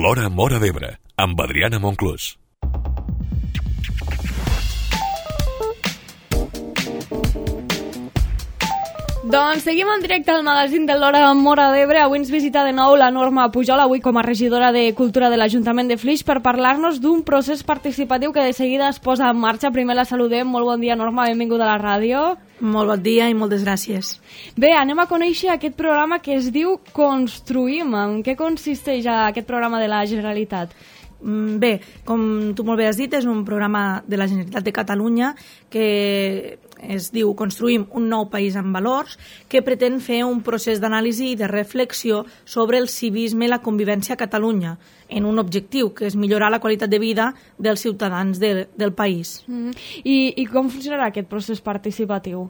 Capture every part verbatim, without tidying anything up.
L'Hora Móra d'Ebre, amb Adriana Monclús. Doncs seguim en directe al magazín de l'Hora Móra d'Ebre. Avui ens visita de nou la Norma Pujol, avui com a regidora de Cultura de l'Ajuntament de Flix, per parlar-nos d'un procés participatiu que de seguida es posa en marxa. Primer la saludem. Molt bon dia, Norma, benvinguda a la ràdio. Molt bon dia i moltes gràcies. Bé, anem a conèixer aquest programa que es diu Construïm. En què consisteix aquest programa de la Generalitat? Bé, com tu molt bé has dit, és un programa de la Generalitat de Catalunya que es diu Construïm un nou país amb valors, que pretén fer un procés d'anàlisi i de reflexió sobre el civisme i la convivència a Catalunya, en un objectiu, que és millorar la qualitat de vida dels ciutadans de, del país. Mm. I, I com funcionarà aquest procés participatiu?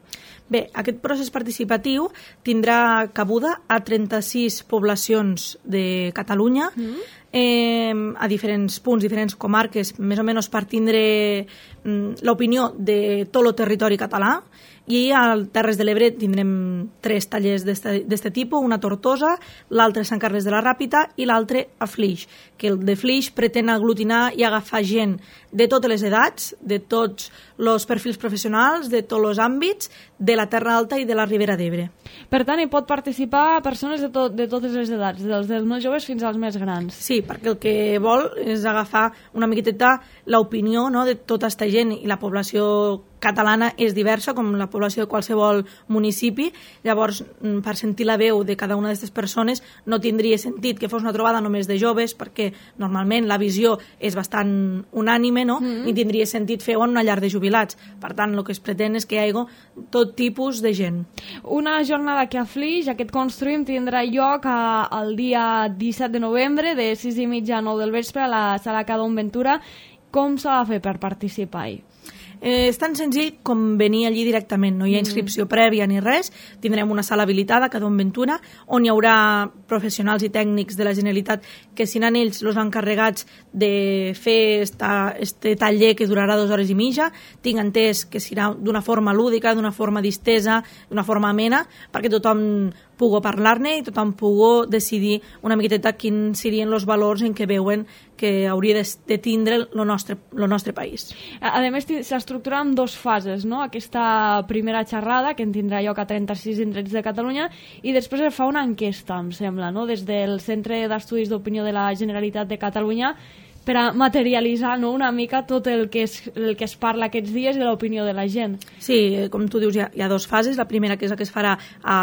Bé, aquest procés participatiu tindrà cabuda a trenta-sis poblacions de Catalunya, mm. eh, a diferents punts, diferents comarques, més o menys per tindre mm, l'opinió de tot el territori català. I al Terres de l'Ebre tindrem tres tallers d'aquest tipus, una a Tortosa, l'altre a Sant Carles de la Ràpita i l'altre a Flix, que el de Flix pretén aglutinar i agafar gent de totes les edats, de tots els perfils professionals, de tots els àmbits, de la Terra Alta i de la Ribera d'Ebre. Per tant, hi pot participar persones de, to de totes les edats, dels, dels més joves fins als més grans. Sí, perquè el que vol és agafar una miqueteta l'opinió, no?, de tota aquesta gent, i la població catalana és diversa, com la població de qualsevol municipi. Llavors, per sentir la veu de cada una d'aquestes persones, no tindria sentit que fos una trobada només de joves, perquè normalment la visió és bastant unànime, no? Mm-hmm. Ni tindria sentit fer-ho en una llar de jubilats. Per tant, el que es pretén és que hi hagi tot tipus de gent. Una jornada que a Flix, aquest Construïm, tindrà lloc a, el dia disset de novembre, de sis i mitja a nou del vespre, a la sala Cadon Ventura. Com s'ha de fer per participar-hi? Eh, és tan senzill com venir allí directament, no hi ha inscripció prèvia ni res. Tindrem una sala habilitada a Cadon Ventura, on hi haurà professionals i tècnics de la Generalitat que seran ells els encarregats de fer este taller que durarà dues hores i mitja. Tinc entès que serà d'una forma lúdica, d'una forma distesa, d'una forma amena, perquè tothom pugui parlar-ne i tothom pugui decidir una miqueteta quins serien els valors en què veuen que hauria de, de tindre el nostre, el nostre país. A, a més, s'estructura en dues fases, no? Aquesta primera xerrada, que en tindrà lloc a trenta-sis indrets de Catalunya, i després es fa una enquesta, em sembla, no?, des del Centre d'Estudis d'Opinió de la Generalitat de Catalunya, per a materialitzar, no?, una mica tot el que es, el que es parla aquests dies i l'opinió de la gent. Sí, com tu dius, hi ha, hi ha dues fases. La primera, que és la que es farà a,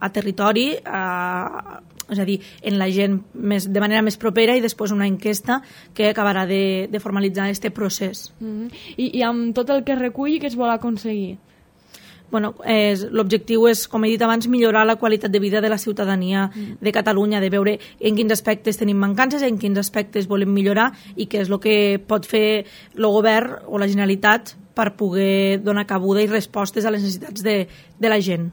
a territori, a, és a dir, en la gent més, de manera més propera, i després una enquesta que acabarà de, de formalitzar aquest procés. Mm-hmm. I, I amb tot el que recull, què es vol aconseguir? Bueno, eh, l'objectiu és, com he dit abans, millorar la qualitat de vida de la ciutadania de Catalunya, de veure en quins aspectes tenim mancances, en quins aspectes volem millorar i què és el que pot fer el govern o la Generalitat per poder donar cabuda i respostes a les necessitats de, de la gent.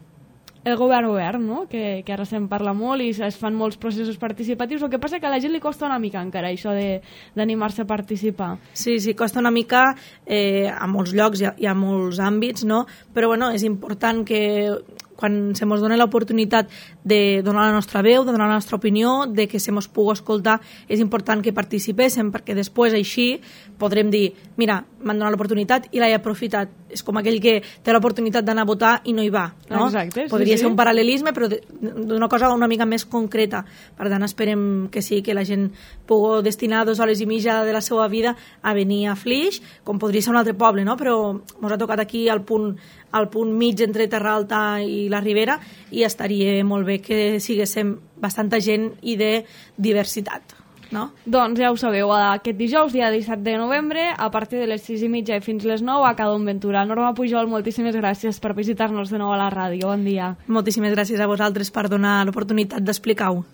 El govern obert, no?, que, que ara se'n parla molt i es fan molts processos participatius. El que passa és que a la gent li costa una mica encara això d'animar-se a participar. Sí, sí, costa una mica, eh, a molts llocs, hi ha, hi ha molts àmbits, no?, però bueno, és important que quan se mos dona l'oportunitat de donar la nostra veu, de donar la nostra opinió, de que se mos pugui escoltar, és important que participéssim, perquè després així podrem dir, mira, m'han donat l'oportunitat i l'he aprofitat. És com aquell que té l'oportunitat d'anar a votar i no hi va, no? Exacte, sí, podria sí. ser un paral·lelisme, però d'una cosa una mica més concreta. Per tant, esperem que sí, que la gent pugui destinar dues hores i mitja de la seva vida a venir a Flix, com podria ser un altre poble, no? Però ens ha tocat aquí al punt, al punt mig entre Terra Alta i la Ribera, i estaria molt bé que siguéssim bastanta gent i de diversitat, no? Doncs ja ho sabeu, aquest dijous, dia disset de novembre, a partir de les sis i mitja i fins les nou a Cadon Ventura. Norma Pujol, moltíssimes gràcies per visitar-nos de nou a la ràdio. Bon dia. Moltíssimes gràcies a vosaltres per donar l'oportunitat d'explicar-ho.